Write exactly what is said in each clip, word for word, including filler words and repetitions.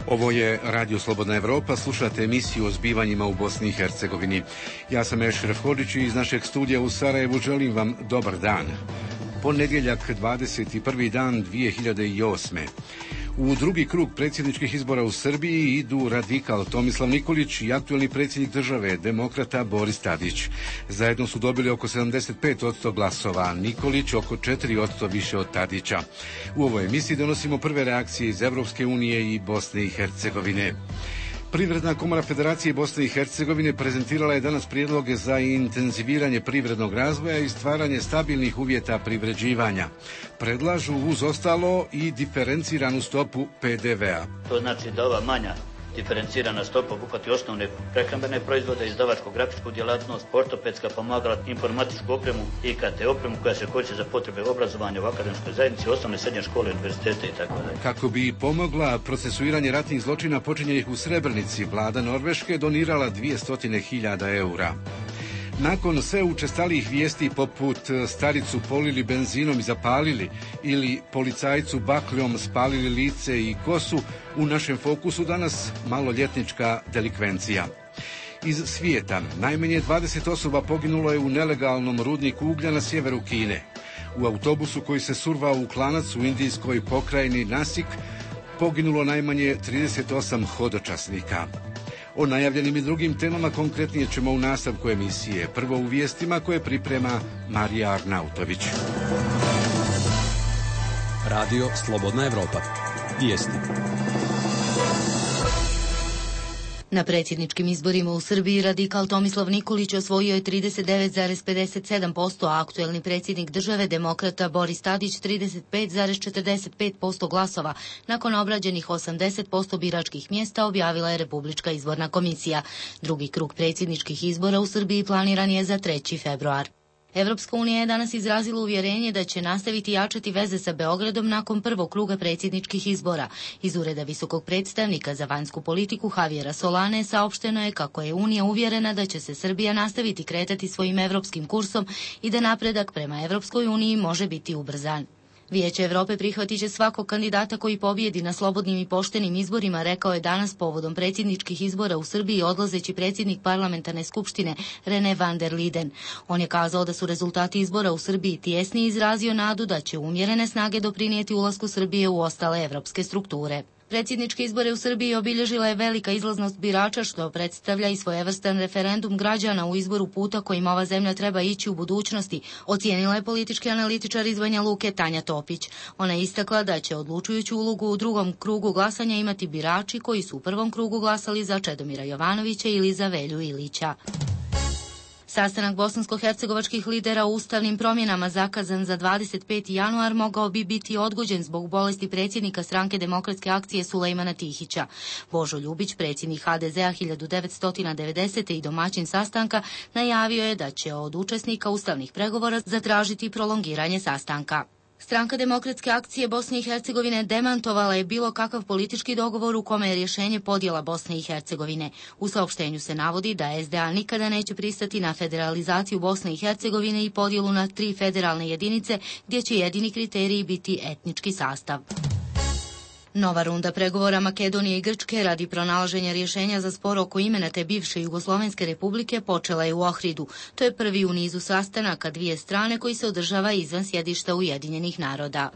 Ovo je Radio Slobodna Evropa, slušate emisiju o zbivanjima u Bosni i Hercegovini. Ja sam Ešref Hodžić i iz našeg studija u Sarajevu želim vam dobar dan. Ponedjeljak, dvadeset prvi dan dvije hiljade osme. U drugi krug predsjedničkih izbora u Srbiji idu radikal Tomislav Nikolić i aktuelni predsjednik države, demokrata Boris Tadić. Zajedno su dobili oko sedamdeset pet posto glasova, Nikolić oko četiri posto više od Tadića. U ovoj emisiji donosimo prve reakcije iz Evropske unije i Bosne i Hercegovine. Privredna komora Federacije Bosne i Hercegovine prezentirala je danas prijedloge za intenziviranje privrednog razvoja i stvaranje stabilnih uvjeta privređivanja. Predlažu uz ostalo i diferenciranu stopu P D V-a. To znači da ova manja diferencirana stopa obuhvati osnovne prehrambene proizvode, izdavačko-grafičku djelatnost, ortopedska pomagala, informatičku opremu, I K T opremu koja se koristi za potrebe obrazovanja u akademskoj zajednici, osnovne srednje škole, univerzitete i tako dalje. Kako bi pomogla procesuiranje ratnih zločina počinjenih u Srebrenici, vlada Norveške donirala dvjesto hiljada eura. Nakon sve učestalijih vijesti poput staricu polili benzinom i zapalili ili policajcu bakljom spalili lice i kosu, u našem fokusu danas maloljetnička delikvencija. Iz svijeta najmanje dvadeset osoba poginulo je u nelegalnom rudniku uglja na sjeveru Kine. U autobusu koji se survao u klanac u indijskoj pokrajini Nasik poginulo najmanje trideset osam hodočasnika. O najavljenim i drugim temama konkretnije ćemo u nastavku emisije. Prvo u vijestima koje priprema Marija Arnautović. Radio Slobodna Evropa. Vijesti. Na predsjedničkim izborima u Srbiji radikal Tomislav Nikolić osvojio je trideset devet zarez pedeset sedam posto, a aktuelni predsjednik države, demokrata Boris Tadić trideset pet zarez četrdeset pet posto glasova. Nakon obrađenih osamdeset posto biračkih mjesta objavila je Republička izborna komisija. Drugi krug predsjedničkih izbora u Srbiji planiran je za treći februar. Evropska unija je danas izrazila uvjerenje da će nastaviti jačati veze sa Beogradom nakon prvog kruga predsjedničkih izbora. Iz ureda visokog predstavnika za vanjsku politiku Javiera Solane saopšteno je kako je Unija uvjerena da će se Srbija nastaviti kretati svojim evropskim kursom i da napredak prema Evropskoj uniji može biti ubrzan. Vijeće Evrope prihvatit će svakog kandidata koji pobjedi na slobodnim i poštenim izborima, rekao je danas povodom predsjedničkih izbora u Srbiji odlazeći predsjednik parlamentarne skupštine René van der Liden. On je kazao da su rezultati izbora u Srbiji tijesni i izrazio nadu da će umjerene snage doprinijeti ulasku Srbije u ostale evropske strukture. Predsjedničke izbore u Srbiji obilježila je velika izlaznost birača, što predstavlja i svojevrstan referendum građana u izboru puta kojim ova zemlja treba ići u budućnosti, ocijenila je politički analitičar iz Banja Luke Tanja Topić. Ona je istakla da će odlučujuću ulogu u drugom krugu glasanja imati birači koji su u prvom krugu glasali za Čedomira Jovanovića ili za Velju Ilića. Sastanak bosansko-hercegovačkih lidera o ustavnim promjenama zakazan za dvadeset peti januar mogao bi biti odgođen zbog bolesti predsjednika stranke Demokratske akcije Sulejmana Tihića. Božo Ljubić, predsjednik H D Z-a hiljadu devetsto devedesete. i domaćin sastanka, najavio je da će od učesnika ustavnih pregovora zatražiti prolongiranje sastanka. Stranka Demokratske akcije Bosne i Hercegovine demantovala je bilo kakav politički dogovor u kome je rješenje podjela Bosne i Hercegovine. U saopštenju se navodi da S D A nikada neće pristati na federalizaciju Bosne i Hercegovine i podjelu na tri federalne jedinice gdje će jedini kriteriji biti etnički sastav. Nova runda pregovora Makedonije i Grčke radi pronalaženja rješenja za spor oko imena te bivše Jugoslovenske republike počela je u Ohridu. To je prvi u nizu sastanaka dvije strane koji se održava izvan sjedišta Ujedinjenih naroda.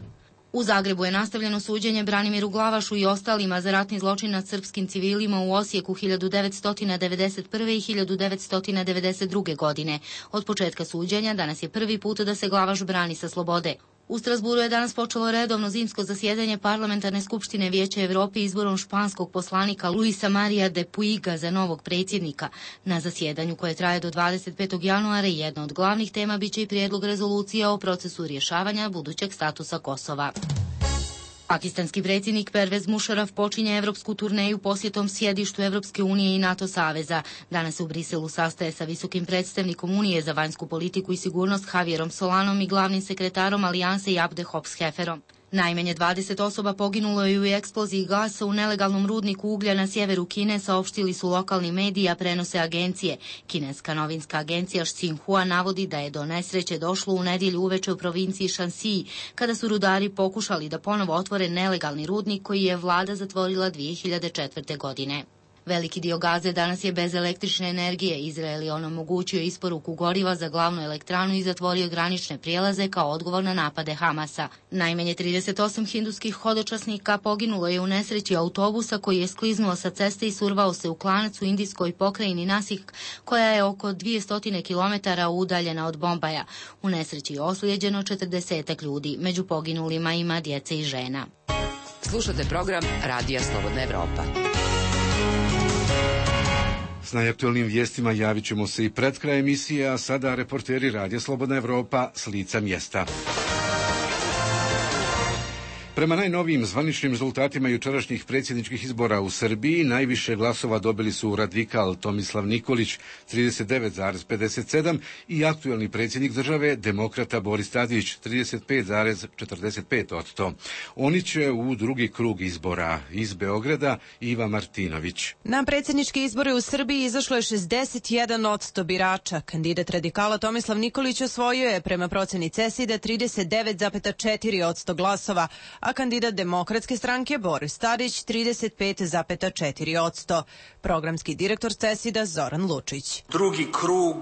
U Zagrebu je nastavljeno suđenje Branimiru Glavašu i ostalima za ratni zločin nad srpskim civilima u Osijeku hiljadu devetsto devedeset prve. i hiljadu devetsto devedeset druge. godine. Od početka suđenja danas je prvi put da se Glavaš brani sa slobode. U Strasburu je danas počelo redovno zimsko zasjedanje Parlamentarne skupštine Vijeća Evrope izborom španskog poslanika Luisa Maria de Puiga za novog predsjednika. Na zasjedanju koje traje do dvadeset petog januara jedna od glavnih tema biće i prijedlog rezolucije o procesu rješavanja budućeg statusa Kosova. Pakistanski predsjednik Pervez Musharraf počinje evropsku turneju posjetom sjedištu Evropske unije i NATO saveza. Danas se u Briselu sastaje sa visokim predstavnikom Unije za vanjsku politiku i sigurnost Javierom Solanom i glavnim sekretarom Alijanse Abde Hobbs Hefferom. Najmanje dvadeset osoba poginulo je u eksploziji gasa u nelegalnom rudniku uglja na sjeveru Kine, saopštili su lokalni mediji, a prenose agencije. Kineska novinska agencija Xinhua navodi da je do nesreće došlo u nedjelju uveče u provinciji Shanxi, kada su rudari pokušali da ponovo otvore nelegalni rudnik koji je vlada zatvorila dvije hiljade četvrte. godine. Veliki dio Gaze danas je bez električne energije. Izrael je onemogućio isporuku goriva za glavnu elektranu i zatvorio granične prijelaze kao odgovor na napade Hamasa. Najmanje trideset osam hinduskih hodočasnika poginulo je u nesreći autobusa koji je skliznuo sa ceste i survao se u klanac u indijskoj pokrajini Nasik, koja je oko dvjesto kilometara udaljena od Bombaja. U nesreći je oslijeđeno četrdeset ljudi. Među poginulima ima djece i žena. Slušate program Radija Slobodna Evropa. S najaktualnim vijestima javit ćemo se i pred kraj emisije, a sada reporteri Radija Slobodna Evropa s lica mjesta. Prema najnovijim zvaničnim rezultatima jučerašnjih predsjedničkih izbora u Srbiji, najviše glasova dobili su radikal Tomislav Nikolić trideset devet zarez pedeset sedam i aktuelni predsjednik države demokrata Boris Tadić trideset pet zarez četrdeset pet posto. Oni će u drugi krug izbora. Iz Beograda Iva Martinović. Na predsjedničke izbore u Srbiji izašlo je šezdeset jedan posto birača. Kandidat radikala Tomislav Nikolić osvojio je prema proceni CESID-a trideset devet zarez četiri posto glasova, a kandidat Demokratske stranke Boris Tadić trideset pet zarez četiri posto. Programski direktor CESID-a Zoran Lučić. Drugi krug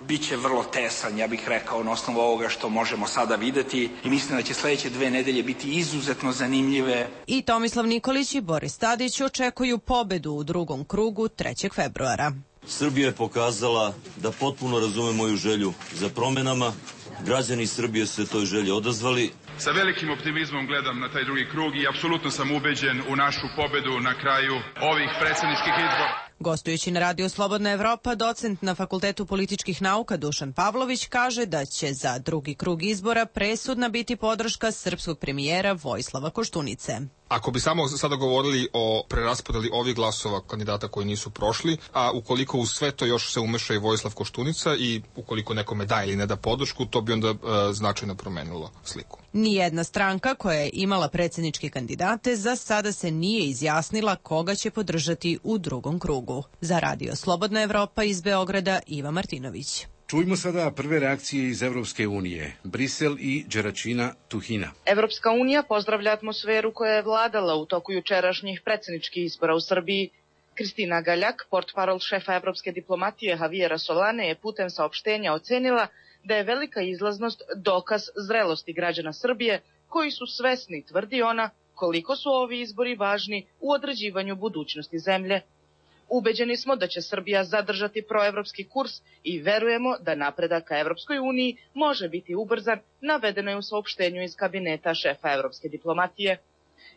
biće vrlo tesan, ja bih rekao, na osnovu ovoga što možemo sada videti, i mislim da će sljedeće dve nedelje biti izuzetno zanimljive. I Tomislav Nikolić i Boris Tadić očekuju pobedu u drugom krugu trećeg februara. Srbija je pokazala da potpuno razume moju želju za promjenama. Građani Srbije su se toj želji odazvali. Sa velikim optimizmom gledam na taj drugi krug i apsolutno sam ubeđen u našu pobedu na kraju ovih predsjedničkih izbora. Gostujući na radiju Slobodna Evropa, docent na Fakultetu političkih nauka Dušan Pavlović kaže da će za drugi krug izbora presudna biti podrška srpskog premijera Vojislava Koštunice. Ako bi samo sada govorili o preraspodeli ovih glasova kandidata koji nisu prošli, a ukoliko u sve to još se umeša i Vojislav Koštunica i ukoliko nekome da ili ne da podršku, to bi onda e, značajno promenilo sliku. Nijedna stranka koja je imala predsjedničke kandidate za sada se nije izjasnila koga će podržati u drugom krugu. Za radio Slobodna Evropa iz Beograda Iva Martinović. Čujmo sada prve reakcije iz Evropske unije. Brisel i Đeračina Tuhina. Evropska unija pozdravlja atmosferu koja je vladala u toku jučerašnjih predsjedničkih izbora u Srbiji. Kristina Galjak, portparol šefa evropske diplomatije Javiera Solane, je putem saopštenja ocenila da je velika izlaznost dokaz zrelosti građana Srbije, koji su svesni, tvrdi ona, koliko su ovi izbori važni u određivanju budućnosti zemlje. Ubeđeni smo da će Srbija zadržati proevropski kurs i verujemo da napredak ka Evropskoj uniji može biti ubrzan, navedeno je u saopštenju iz kabineta šefa evropske diplomatije.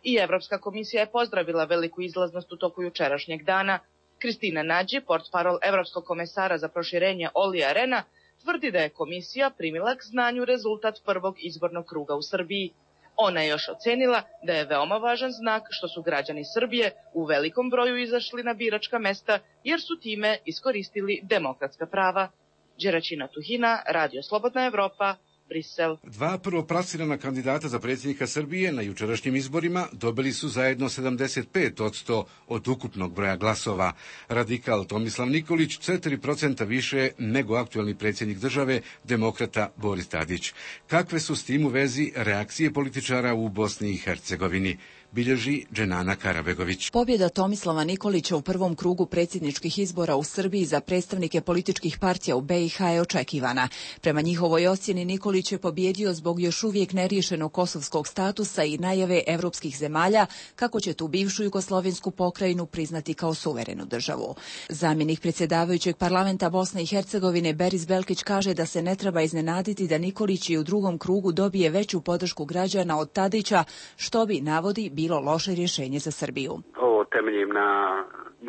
I Evropska komisija je pozdravila veliku izlaznost u toku jučerašnjeg dana. Kristina Nađi, portparol Evropskog komesara za proširenje Olija Rena, tvrdi da je komisija primila k znanju rezultat prvog izbornog kruga u Srbiji. Ona je još ocenila da je veoma važan znak što su građani Srbije u velikom broju izašli na biračka mesta jer su time iskoristili demokratska prava. Đeračina Tuhina, Radio Slobodna Evropa, Brisel. Dva prvoplasirana kandidata za predsjednika Srbije na jučerašnjim izborima dobili su zajedno sedamdeset pet posto od ukupnog broja glasova. Radikal Tomislav Nikolić četiri posto više nego aktuelni predsjednik države, demokrata Boris Tadić. Kakve su s tim u vezi reakcije političara u Bosni i Hercegovini? Bilježi Dženana Karabegović. Pobjeda Tomislava Nikolića u prvom krugu predsjedničkih izbora u Srbiji za predstavnike političkih partija u be i ha je očekivana. Prema njihovoj ocjeni Nikolić je pobjedio zbog još uvijek neriješenog kosovskog statusa i najave evropskih zemalja kako će tu bivšu jugoslovensku pokrajinu priznati kao suverenu državu. Zamjenik predsjedavajućeg parlamenta Bosne i Hercegovine Beris Belkić kaže da se ne treba iznenaditi da Nikolić i u drugom krugu dobije veću podršku građana od Tadića, što bi, navodi, bilo loše rješenje za Srbiju. Ovo temeljim na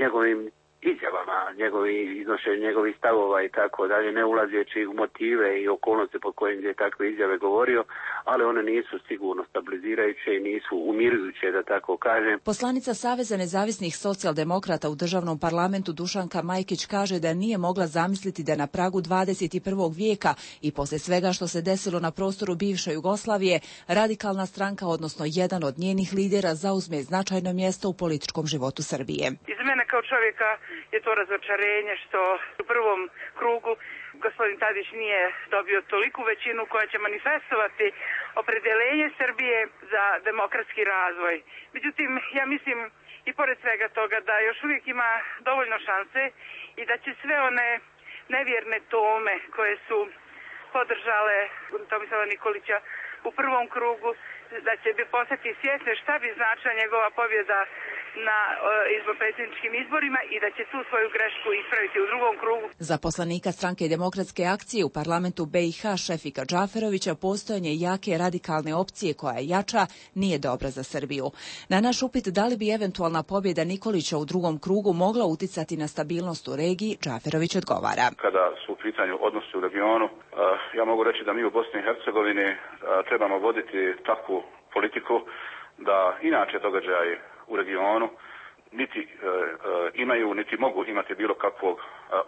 njegovim izjavama, njegovi, iznošenje njegovih stavova i tako dalje, ne ulazeći u motive i okolnosti po kojim je takve izjave govorio, ali one nisu sigurno stabilizirajuće i nisu umirujuće, da tako kažem. Poslanica Saveza nezavisnih socijaldemokrata u državnom parlamentu Dušanka Majkić kaže da nije mogla zamisliti da na pragu dvadeset prvog vijeka i posle svega što se desilo na prostoru bivše Jugoslavije, radikalna stranka, odnosno jedan od njenih lidera, zauzme značajno mjesto u političkom životu Srbije. Iz mene kao čovjeka je to razočarenje što u prvom krugu gospodin Tadić nije dobio toliku većinu koja će manifestovati opredeljenje Srbije za demokratski razvoj. Međutim, ja mislim i pored svega toga da još uvijek ima dovoljno šanse i da će sve one nevjerne tome koje su podržale Tomislava Nikolića u prvom krugu, da će bi postati svjesne šta bi značila njegova pobjeda na izbor predsjedničkim izborima i da će tu svoju grešku ispraviti u drugom krugu. Za poslanika Stranke demokratske akcije u parlamentu B i H Šefika Džaferovića postojanje jake radikalne opcije koja je jača nije dobra za Srbiju. Na naš upit da li bi eventualna pobjeda Nikolića u drugom krugu mogla uticati na stabilnost u regiji, Džaferović odgovara. Kada su u pitanju odnosi u regionu, ja mogu reći da mi u Bosni i Hercegovini trebamo voditi takvu politiku da inače događaje u regionu niti e, e, imaju, niti mogu imati bilo kakvog e,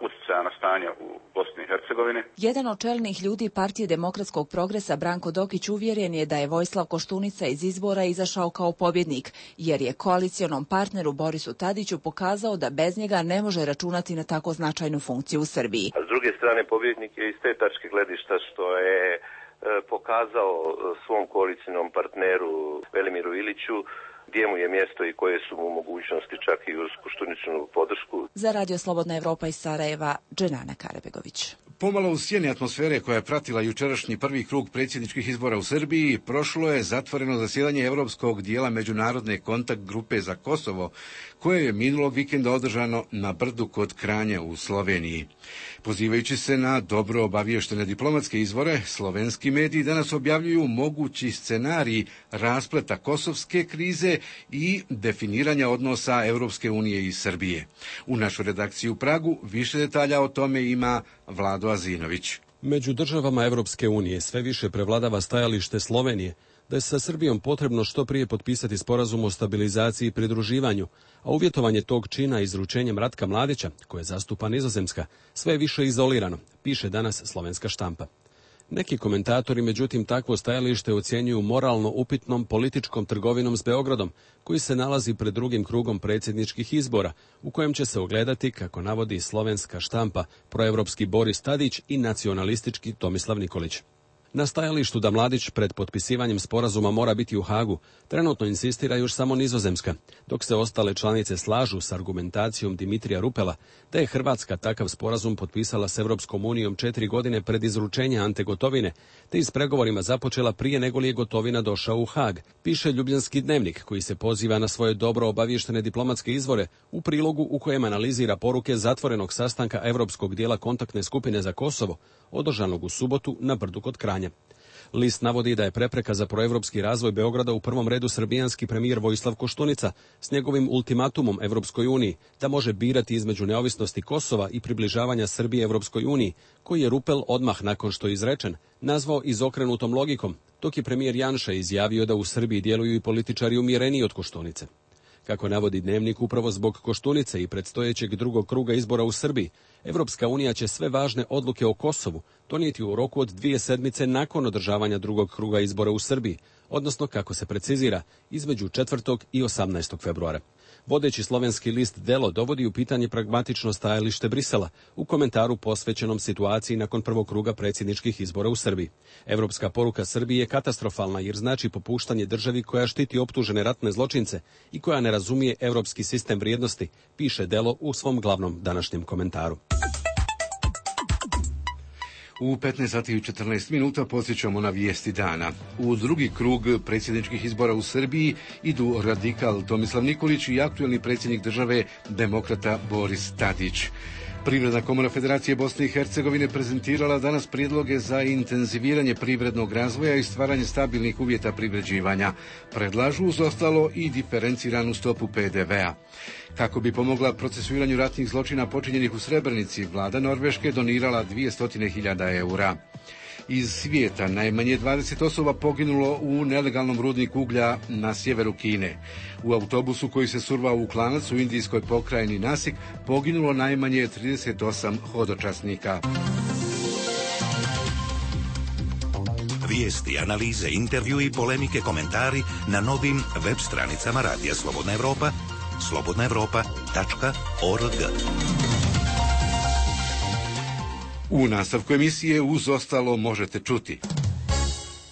utjecaja na stanje u Bosni i Hercegovini. Jedan od čelnih ljudi Partije demokratskog progresa, Branko Dokić, uvjeren je da je Vojislav Koštunica iz izbora izašao kao pobjednik, jer je koalicionom partneru Borisu Tadiću pokazao da bez njega ne može računati na tako značajnu funkciju u Srbiji. A s druge strane, pobjednik je iz te tačke gledišta što je pokazao svom koalicijnom partneru Velimiru Iliću gdje mu je mjesto i koje su mu mogućnosti, čak i uz Koštuničinu podršku. Za Radio Slobodna Evropa iz Sarajeva, Dženana Karebegović. Pomalo u sjeni atmosfere koja je pratila jučerašnji prvi krug predsjedničkih izbora u Srbiji, prošlo je zatvoreno zasjedanje evropskog dijela međunarodne kontakt grupe za Kosovo, koje je minulog vikenda održano na Brdu kod Kranja u Sloveniji. Pozivajući se na dobro obaviještene diplomatske izvore, slovenski mediji danas objavljuju mogući scenarij raspleta kosovske krize i definiranja odnosa Europske unije i Srbije. U našoj redakciji u Pragu više detalja o tome ima Vlado Azinović. Među državama Europske unije sve više prevladava stajalište Slovenije da je sa Srbijom potrebno što prije potpisati sporazum o stabilizaciji i pridruživanju, a uvjetovanje tog čina izručenjem Ratka Mladića, koje zastupa Nizozemska, sve je više izolirano, piše danas slovenska štampa. Neki komentatori, međutim, takvo stajalište ocjenjuju moralno upitnom političkom trgovinom s Beogradom, koji se nalazi pred drugim krugom predsjedničkih izbora, u kojem će se ogledati, kako navodi slovenska štampa, proevropski Boris Tadić i nacionalistički Tomislav Nikolić. Na stajalištu da Mladić pred potpisivanjem sporazuma mora biti u Hagu, trenutno insistira još samo Nizozemska, dok se ostale članice slažu s argumentacijom Dimitrija Rupela da je Hrvatska takav sporazum potpisala s Europskom unijom četiri godine pred izručenje Ante Gotovine, te i s pregovorima započela prije nego li je Gotovina došao u Hag, piše Ljubljanski dnevnik, koji se poziva na svoje dobro obavještene diplomatske izvore u prilogu u kojem analizira poruke zatvorenog sastanka Europskog dijela kontaktne skupine za Kosovo, održanog u subotu na Brdu kod Kranja. List navodi da je prepreka za proevropski razvoj Beograda u prvom redu srbijanski premijer Vojislav Koštunica s njegovim ultimatumom Evropskoj uniji da može birati između neovisnosti Kosova i približavanja Srbije Evropskoj uniji, koji je Rupel odmah nakon što je izrečen nazvao izokrenutom logikom, dok je premijer Janša izjavio da u Srbiji djeluju i političari umjereniji od Koštunice. Kako navodi dnevnik, upravo zbog Koštunice i predstojećeg drugog kruga izbora u Srbiji, Evropska unija će sve važne odluke o Kosovu donijeti u roku od dvije sedmice nakon održavanja drugog kruga izbora u Srbiji, odnosno, kako se precizira, između četvrtog i osamnaestog februara. Vodeći slovenski list Delo dovodi u pitanje pragmatično stajalište Brisela u komentaru posvećenom situaciji nakon prvog kruga predsjedničkih izbora u Srbiji. Evropska poruka Srbiji je katastrofalna jer znači popuštanje državi koja štiti optužene ratne zločince i koja ne razumije evropski sistem vrijednosti, piše Delo u svom glavnom današnjem komentaru. U petnaest sati i četrnaest minuta podsjećamo na vijesti dana. U drugi krug predsjedničkih izbora u Srbiji idu radikal Tomislav Nikolić i aktuelni predsjednik države demokrata Boris Tadić. Privredna komora Federacije Bosne i Hercegovine prezentirala danas prijedloge za intenziviranje privrednog razvoja i stvaranje stabilnih uvjeta privređivanja. Predlažu uz ostalo i diferenciranu stopu pe de vea. Kako bi pomogla procesuiranju ratnih zločina počinjenih u Srebrenici, vlada Norveške donirala dvjesto hiljada eura. Iz svijeta najmanje dvadeset osoba poginulo u nelegalnom rudniku uglja na sjeveru Kine. U autobusu koji se survao u klanac u indijskoj pokrajini Nasik poginulo najmanje trideset osam hodočasnika. Vijesti, analize, intervju i polemike, komentari na novim web stranicama Radija Slobodna Evropa, slobodna evropa tačka org. U nastavku emisije uz ostalo možete čuti.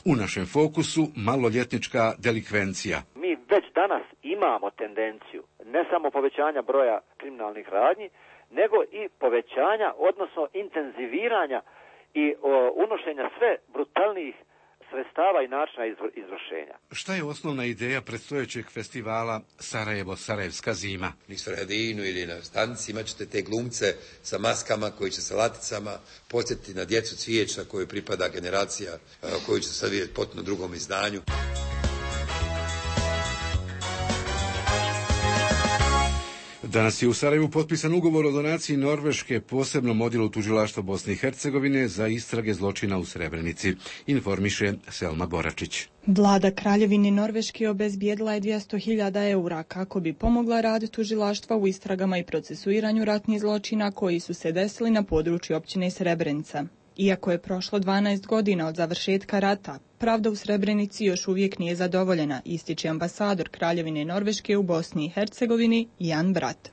U našem fokusu maloljetnička delikvencija. Mi već danas imamo tendenciju ne samo povećanja broja kriminalnih radnji, nego i povećanja, odnosno intenziviranja i o, unošenja sve brutalnijih sredstava i načina izvršenja. Šta je osnovna ideja predstojećeg festivala Sarajevo-Sarajevska zima? U Sredinu ili na stanici imat ćete te glumce sa maskama koji će sa laticama podsjetiti na djecu Cvijeća kojoj pripada generacija koju će sad vidjeti potpuno drugom izdanju. Danas je u Sarajevu potpisan ugovor o donaciji Norveške posebnom odjelu tužilaštva Bosne i Hercegovine za istrage zločina u Srebrenici, informiše Selma Boračić. Vlada Kraljevine Norveške obezbijedila je dvjesto hiljada eura kako bi pomogla rad tužilaštva u istragama i procesuiranju ratnih zločina koji su se desili na području općine Srebrenica. Iako je prošlo dvanaest godina od završetka rata, pravda u Srebrenici još uvijek nije zadovoljena, ističe ambasador Kraljevine Norveške u Bosni i Hercegovini Jan Brat.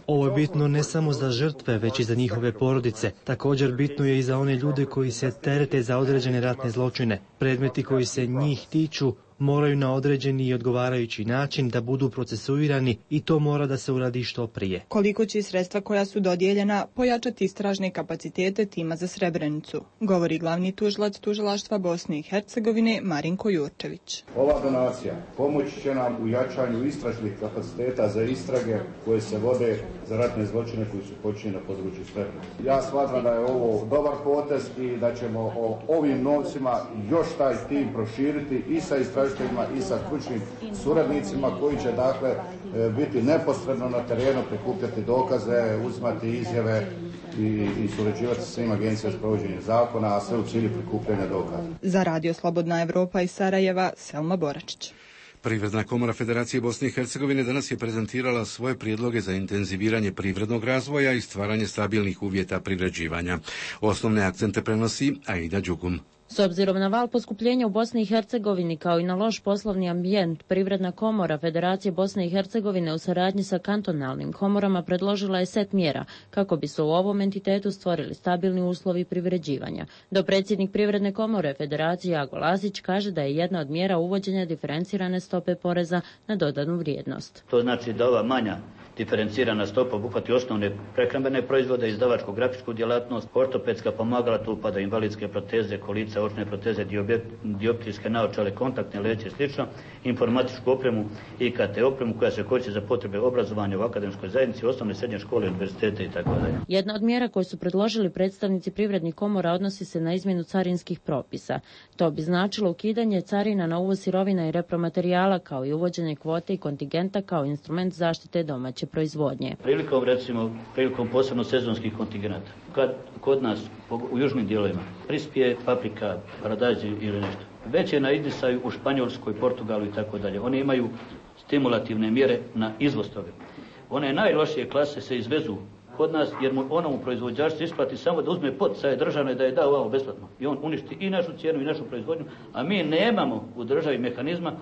Ovo je bitno ne samo za žrtve, već i za njihove porodice. Također bitno je i za one ljude koji se terete za određene ratne zločine. Predmeti koji se njih tiču moraju na određeni i odgovarajući način da budu procesuirani i to mora da se uradi što prije. Koliko će sredstva koja su dodijeljena pojačati istražne kapacitete tima za Srebrenicu, govori glavni tužilac tužilaštva Bosne i Hercegovine Marinko Jurčević. Ova donacija pomoći će nam u jačanju istražnih kapaciteta za istrage koje se vode za ratne zločine koji su počinjeni na području Srebrenice. Ja smatram da je ovo dobar potez i da ćemo o ovim novcima još taj tim proširiti i sa istražnim i sa stručnim suradnicima koji će dakle biti neposredno na terenu, prikupljati dokaze, uzimati izjave i, i surađivati sa svim agencijama za provođenje zakona, a sve u cilju prikupljanja dokaza. Za Radio Slobodna Evropa iz Sarajeva, Selma Boračić. Privredna komora Federacije Bosne i Hercegovine danas je prezentirala svoje prijedloge za intenziviranje privrednog razvoja i stvaranje stabilnih uvjeta privređivanja. Osnovne akcente prenosi Aida Đugum. S obzirom na val poskupljenja u Bosni i Hercegovini kao i na loš poslovni ambijent, Privredna komora Federacije Bosne i Hercegovine u saradnji sa kantonalnim komorama predložila je set mjera kako bi se u ovom entitetu stvorili stabilni uslovi privređivanja. Dopredsjednik Privredne komore Federacije Jago Lazić kaže da je jedna od mjera uvođenja diferencirane stope poreza na dodanu vrijednost. To znači da ova manja diferencirana stopa obuhvati osnovne prehrambene proizvode, izdavačko-grafičku djelatnost, ortopedska pomagala, tu upada invalidske proteze, kolica, očne proteze, dioptrijske naočale, kontaktne leće i slično, informatičku opremu i i ka te opremu koja se koristi za potrebe obrazovanja u akademskoj zajednici, osnovne srednje škole, univerzitete i tako dalje. Jedna od mjera koju su predložili predstavnici privrednih komora odnosi se na izmjenu carinskih propisa. To bi značilo ukidanje carina na uvoz sirovina i repromaterijala kao i uvođenje kvote i kontingenta kao instrument zaštite domaće proizvodnje. Prilikom, recimo, prilikom posebno sezonskih kontingenata, kad kod nas u južnim dijelovima prispije paprika, paradajz ili nešto, već je na izdisaju u Španjolskoj, Portugalu i tako dalje. Oni imaju stimulativne mjere na izvoz toga. One najlošije klase se izvezu kod nas jer mu onomu proizvođaču isplati samo da uzme poticaje državne da je da ovamo besplatno. I on uništi i našu cijenu i našu proizvodnju, a mi nemamo u državi mehanizma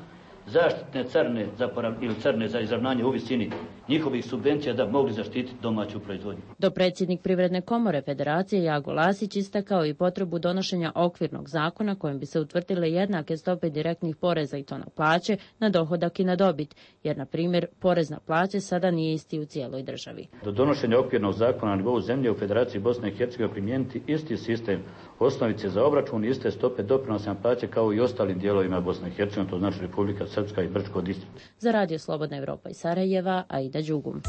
zaštitne carne za porav, ili carne za izravnanje u visini njihovih subvencija da bi mogli zaštititi domaću proizvodnju. Dopredsjednik Privredne komore Federacije Jago Lasić istakao i potrebu donošenja okvirnog zakona kojim bi se utvrdile jednake stope direktnih poreza i to na plaće, na dohodak i na dobit, jer na primjer porez na plaće sada nije isti u cijeloj državi. Do donošenja okvirnog zakona na nivou zemlje u Federaciji Bosne i Hercegovine primijeniti isti sistem osnovice za obračun i iste stope doprinosa na plaće kao i ostalim dijelovima Bosne i Hercegovine, to znači Republika Srpska i Brčko distrikt. Za Radio Slobodna Evropa iz Sarajeva, Aida Đugum.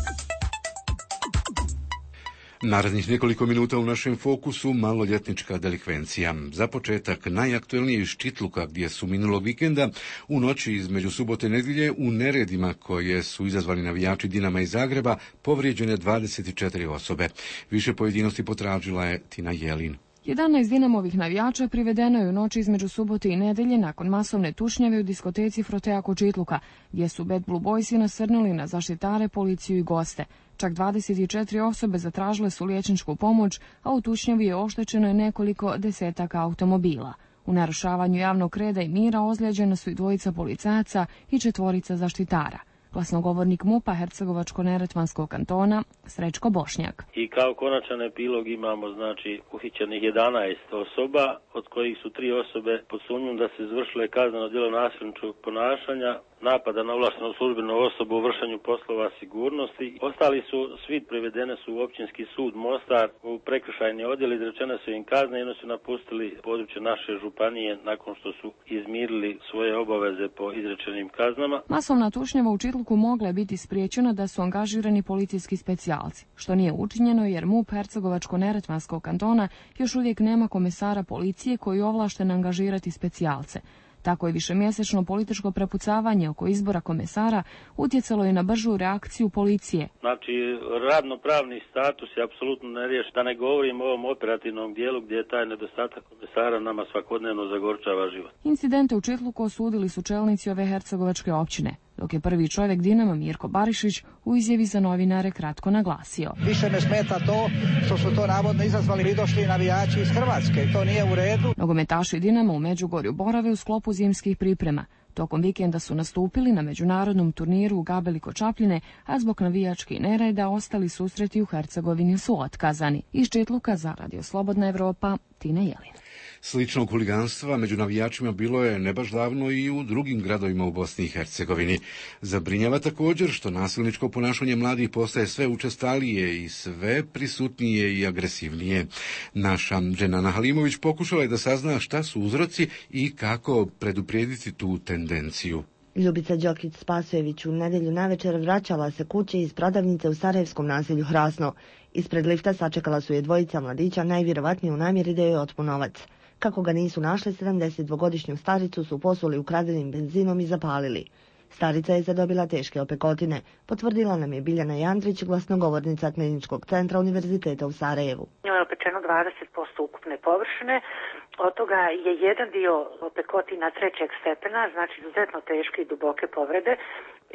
Narednih nekoliko minuta u našem fokusu maloljetnička delikvencija. Za početak najaktuelnije iz Čitluka, gdje su minulog vikenda u noći između subote i nedjelje u neredima koje su izazvali navijači Dinama iz Zagreba povrijeđene dvadeset četiri osobe. Više pojedinosti potražila je Tina Jelin. jedanaest Dinamovih navijača privedeno je u noći između subote i nedelje nakon masovne tučnjave u diskoteci Frotea kod Čitluka, gdje su Bad Blue Boysi nasrnuli na zaštitare, policiju i goste. Čak dvadeset četiri osobe zatražile su liječničku pomoć, a u tučnjavi je oštećeno nekoliko desetaka automobila. U narušavanju javnog reda i mira ozlijeđena su i dvojica policajaca i četvorica zaštitara. Glasnogovornik MUP-a Hercegovačko-neretvanskog kantona Srećko Bošnjak. I kao konačan epilog imamo znači uhićenih jedanaest osoba, od kojih su tri osobe pod sumnjom da se izvršile kazneno djelo nasilničkog ponašanja, napada na ovlaštenu službenu osobu u vršenju poslova sigurnosti. Ostali su, svi privedene su u općinski sud Mostar, u prekršajni odjel, izrečene su im kazne i oni su napustili područje naše županije nakon što su izmirili svoje obaveze po izrečenim kaznama. Masovna tučnjava u Čitluku mogla je biti spriječena da su angažirani policijski specijalci, što nije učinjeno jer MUP Hercegovačko-neretvanskog kantona još uvijek nema komesara policije koji je ovlašten angažirati specijalce. Tako je višemjesečno političko prepucavanje oko izbora komesara utjecalo je na bržu reakciju policije. Znači, radno-pravni status je apsolutno neriješen. Da ne govorim o ovom operativnom dijelu gdje je taj nedostatak komesara nama svakodnevno zagorčava život. Incidente u Čitluku osudili su čelnici ove hercegovačke općine, dok je prvi čovjek Dinama Mirko Barišić u izjavi za novinare kratko naglasio. Više me smeta to što su to navodno izazvali pridošli navijači iz Hrvatske. To nije u redu. Nogometaši Dinama u Međugorju borave u sklopu zimskih priprema. Tokom vikenda su nastupili na međunarodnom turniru u Gabeli kod Čapljine, a zbog navijačkih nereda ostali susreti u Hercegovini su otkazani. Iz Čitluka za Radio Slobodna Evropa, Tina Jelin. Sličnog huliganstva među navijačima bilo je ne baš davno i u drugim gradovima u Bosni i Hercegovini. Zabrinjava također što nasilničko ponašanje mladih postaje sve učestalije i sve prisutnije i agresivnije. Naša Dženana Halimović pokušala je da sazna šta su uzroci i kako preduprijediti tu tendenciju. Ljubica Đokić-Spasojević u nedjelju navečer vraćala se kući iz prodavnice u sarajevskom naselju Hrasno. Ispred lifta sačekala su je dvojica mladića, najvjerovatnije u namjeri da joj otmu novac. Kako ga nisu našli, sedamdesetdvogodišnju staricu su posuli ukradenim benzinom i zapalili. Starica je zadobila teške opekotine, potvrdila nam je Biljana Jandrić, glasnogovornica Kliničkog centra Univerziteta u Sarajevu. Njoj je opečeno dvadeset posto ukupne površine, od toga je jedan dio opekotina trećeg stepena, znači izuzetno teške i duboke povrede.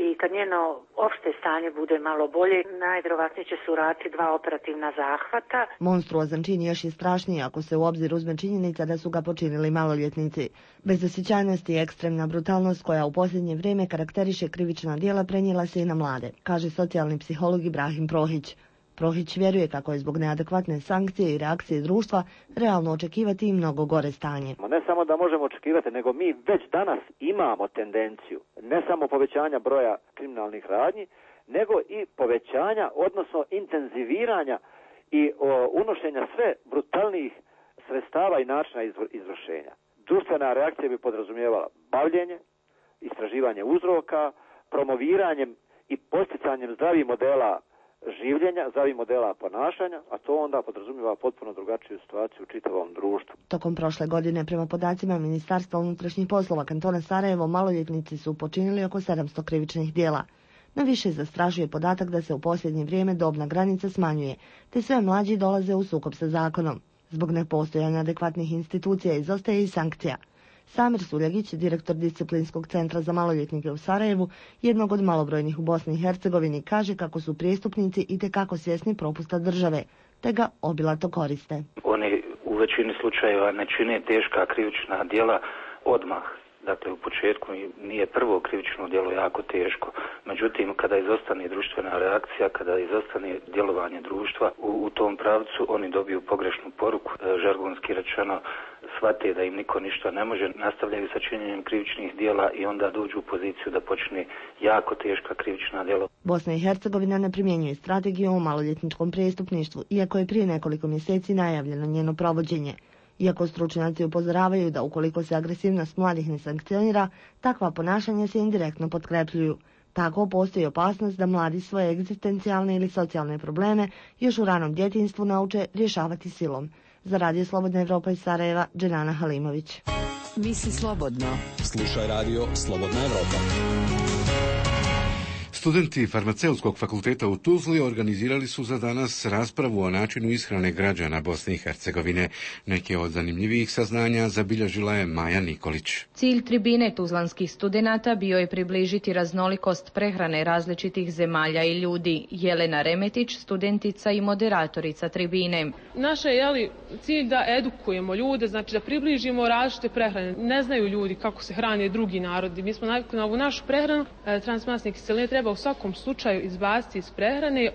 I kad njeno opšte stanje bude malo bolje, najvjerovatnije će se uraditi dva operativna zahvata. Monstruozan čin još je strašniji ako se u obzir uzme činjenica da su ga počinili maloljetnici. Bezosjećajnost i ekstremna brutalnost koja u posljednje vrijeme karakteriše krivična djela prenijela se i na mlade, kaže socijalni psiholog Ibrahim Prohić. Prohić vjeruje kako je zbog neadekvatne sankcije i reakcije društva realno očekivati i mnogo gore stanje. Ne samo da možemo očekivati, nego mi već danas imamo tendenciju ne samo povećanja broja kriminalnih radnji, nego i povećanja, odnosno intenziviranja i o, unošenja sve brutalnijih sredstava i načina izvršenja. Društvena reakcija bi podrazumijevala bavljenje, istraživanje uzroka, promoviranjem i posticanjem zdravih modela življenja, zdravih modela ponašanja, a to onda podrazumijeva potpuno drugačiju situaciju u čitavom društvu. Tokom prošle godine, prema podacima Ministarstva unutrašnjih poslova kantona Sarajevo, maloljetnici su počinili oko sedamsto krivičnih djela. No više zastrašuje podatak da se u posljednje vrijeme dobna granica smanjuje, te sve mlađi dolaze u sukob sa zakonom. Zbog nepostojanja adekvatnih institucija izostaje i sankcija. Samir Suljagić, direktor disciplinskog centra za maloljetnike u Sarajevu, jednog od malobrojnih u Bosni i Hercegovini, kaže kako su prijestupnici itekako svjesni propusta države, te ga obilato koriste. Oni u većini slučajeva ne čine teška krivična djela odmah. Dakle, u početku nije prvo krivično djelo jako teško. Međutim, kada izostane društvena reakcija, kada izostane djelovanje društva u, u tom pravcu, oni dobiju pogrešnu poruku, žargonski rečeno, shvate da im niko ništa ne može, nastavljaju sa činjenjem krivičnih djela i onda dođu u poziciju da počne jako teška krivična djela. Bosna i Hercegovina ne primjenjuje strategiju o maloljetničkom prijestupništvu, iako je prije nekoliko mjeseci najavljeno njeno provođenje. Iako stručnjaci upozoravaju da ukoliko se agresivnost mladih ne sankcionira, takva ponašanja se indirektno potkrepljuju. Tako postoji opasnost da mladi svoje egzistencijalne ili socijalne probleme još u ranom djetinjstvu nauče rješavati silom. Za Radio Slobodna Evropa iz Sarajeva, Dženana Halimović. Misli slobodno. Slušaj Radio Slobodna Evropa. Studenti Farmaceutskog fakulteta u Tuzli organizirali su za danas raspravu o načinu ishrane građana Bosne i Hercegovine. Neke od zanimljivijih saznanja zabilježila je Maja Nikolić. Cilj tribine tuzlanskih studenata bio je približiti raznolikost prehrane različitih zemalja i ljudi. Jelena Remetić, studentica i moderatorica tribine. Naš je jeli, cilj da edukujemo ljude, znači da približimo različite prehrane. Ne znaju ljudi kako se hrane drugi narodi. Mi smo navikli na ovu našu prehranu. Transmasne kiseline treba u svakom slučaju izbaciti iz prehrane,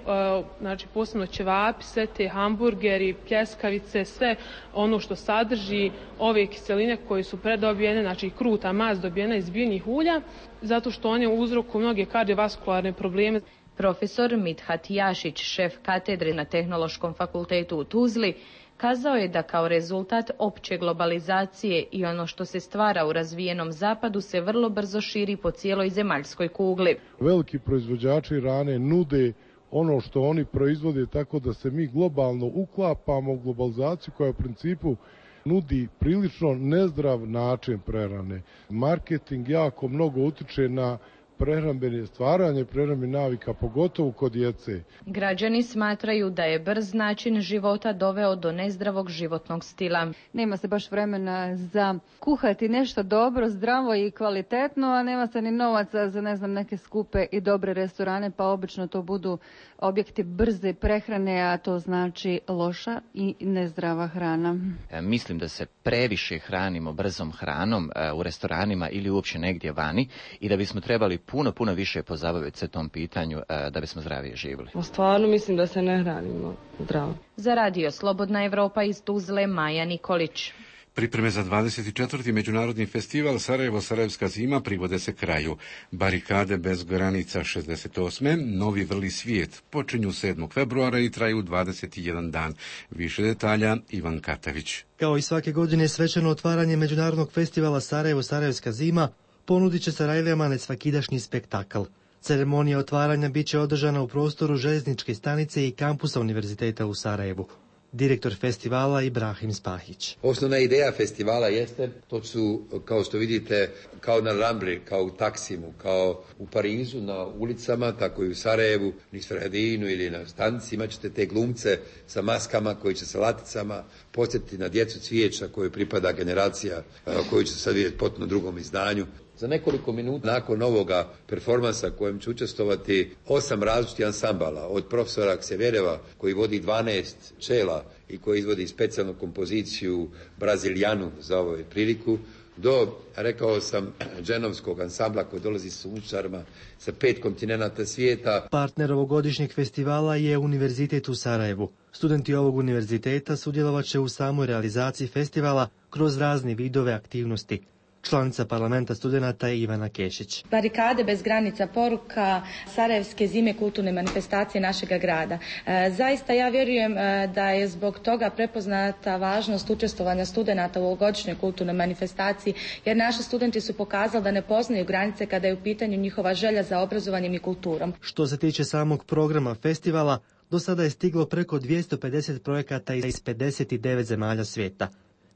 znači posebno ćevapi, sve te hamburgeri, pljeskavice, sve ono što sadrži ove kiseline koje su predobijene, znači kruta mast dobijena iz biljnih ulja, zato što one uzrokuju mnoge kardiovaskularne probleme. Profesor Mithat Jašić, šef katedre na Tehnološkom fakultetu u Tuzli, kazao je da kao rezultat opće globalizacije i ono što se stvara u razvijenom zapadu se vrlo brzo širi po cijeloj zemaljskoj kugli. Veliki proizvođači hrane nude ono što oni proizvode tako da se mi globalno uklapamo u globalizaciju koja u principu nudi prilično nezdrav način prehrane. Marketing jako mnogo utiče na prehrambene stvaranje, prehrambene navika, pogotovo kod djece. Građani smatraju da je brz način života doveo do nezdravog životnog stila. Nema se baš vremena za kuhati nešto dobro, zdravo i kvalitetno, a nema se ni novaca za ne znam neke skupe i dobre restorane, pa obično to budu objekti brze prehrane, a to znači loša i nezdrava hrana. E, mislim da se previše hranimo brzom hranom e, u restoranima ili uopće negdje vani i da bismo trebali puno, puno više pozabaviti se tom pitanju e, da bismo zdravije živjeli. Stvarno mislim da se ne hranimo zdravo. Za Radio Slobodna Evropa iz Tuzle, Maja Nikolić. Pripreme za dvadeset četvrti međunarodni festival Sarajevo-Sarajevska zima privode se kraju. Barikade bez granica šezdeset osme Novi vrli svijet počinju sedmog februara i traju dvadeset jedan dan. Više detalja Ivan Katavić. Kao i svake godine svečano otvaranje međunarodnog festivala Sarajevo-Sarajevska zima ponudit će Sarajlijama nesvakidašnji spektakl. Ceremonija otvaranja bit će održana u prostoru željezničke stanice i kampusa Univerziteta u Sarajevu. Direktor festivala Ibrahim Spahić. Osnovna ideja festivala jeste, to su, kao što vidite, kao na Rambli, kao u Taksimu, kao u Parizu, na ulicama, tako i u Sarajevu, u Sredinu ili na stanici, imat ćete te glumce sa maskama koji će sa laticama podsjetiti na djecu cvijeća koju pripada generacija koju će sad vidjeti potpuno drugom izdanju. Za nekoliko minuta nakon ovoga performansa kojem će učestvovati osam različitih ansambala, od profesora Ksevereva koji vodi dvanaest čela i koji izvodi specijalnu kompoziciju Brazilijanu za ovu priliku, do, rekao sam, dženovskog ansambla koji dolazi s muzičarima sa pet kontinenata svijeta. Partner ovogodišnjeg festivala je Univerzitet u Sarajevu. Studenti ovog univerziteta sudjelovat će u samoj realizaciji festivala kroz razne vidove aktivnosti. Članica parlamenta studenata je Ivana Kešić. Barikade bez granica, poruka Sarajevske zime, kulturne manifestacije našega grada. E, zaista ja vjerujem e, da je zbog toga prepoznata važnost učestvovanja studenata u ovogodišnjoj kulturnoj manifestaciji, jer naši studenti su pokazali da ne poznaju granice kada je u pitanju njihova želja za obrazovanjem i kulturom. Što se tiče samog programa festivala, do sada je stiglo preko dvjesto pedeset projekata iz pedeset devet zemalja svijeta.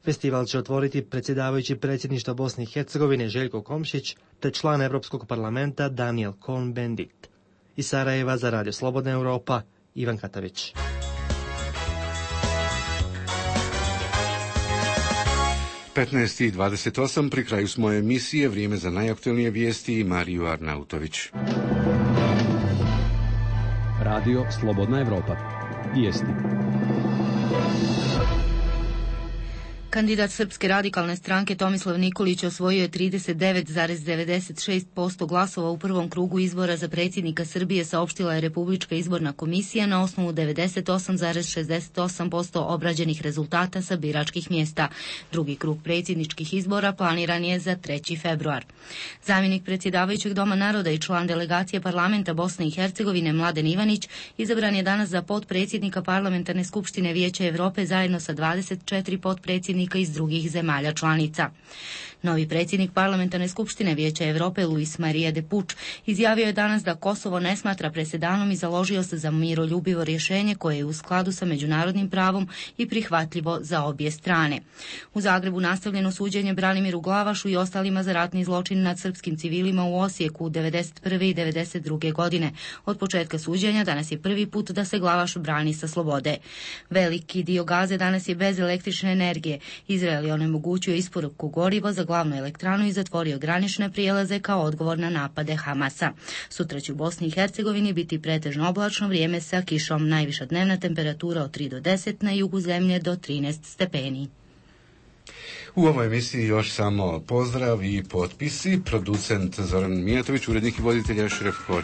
Festival će otvoriti predsjedavajući predsjedništva Bosne i Hercegovine Željko Komšić te član Europskog parlamenta Daniel Cohn-Bendit. Iz Sarajeva za Radio Slobodna Europa, Ivan Katavić. petnaest i dvadeset osam pri kraju smo emisije, vrijeme za najaktualnije vijesti i Mariju Arnautović. Radio Slobodna Evropa. Vijesti. Kandidat Srpske radikalne stranke Tomislav Nikolić osvojio je trideset devet zarez devedeset šest posto glasova u prvom krugu izbora za predsjednika Srbije, saopštila je Republička izborna komisija na osnovu devedeset osam zarez šezdeset osam posto obrađenih rezultata sa biračkih mjesta. Drugi krug predsjedničkih izbora planiran je za treći februar. Zamjenik predsjedavajućeg Doma naroda i član delegacije parlamenta Bosne i Hercegovine Mladen Ivanić izabran je danas za potpredsjednika Parlamentarne skupštine Vijeća Europe zajedno sa dvadeset četiri potpredsjednika iz drugih zemalja članica. Novi predsjednik Parlamentarne skupštine Vijeća Europe Luis María de Puig izjavio je danas da Kosovo ne smatra presedanom i založio se za miroljubivo rješenje koje je u skladu sa međunarodnim pravom i prihvatljivo za obje strane. U Zagrebu nastavljeno suđenje Branimiru Glavašu i ostalima za ratni zločin nad srpskim civilima u Osijeku devedeset prve i devedeset druge godine. Od početka suđenja danas je prvi put da se Glavaš brani sa slobode. Veliki dio Gaze danas je bez električne energije. Izrael je onemogućio isporuku goriva za glavnu elektranu i zatvorio granične prijelaze kao odgovor na napade Hamasa. Sutra će u Bosni i Hercegovini biti pretežno oblačno vrijeme sa kišom. Najviša dnevna temperatura od tri do deset, na jugu zemlje do trinaest stepeni. U ovoj emisiji još samo pozdrav i potpisi. Producent Zoran Mijatović, urednik i voditelj Šref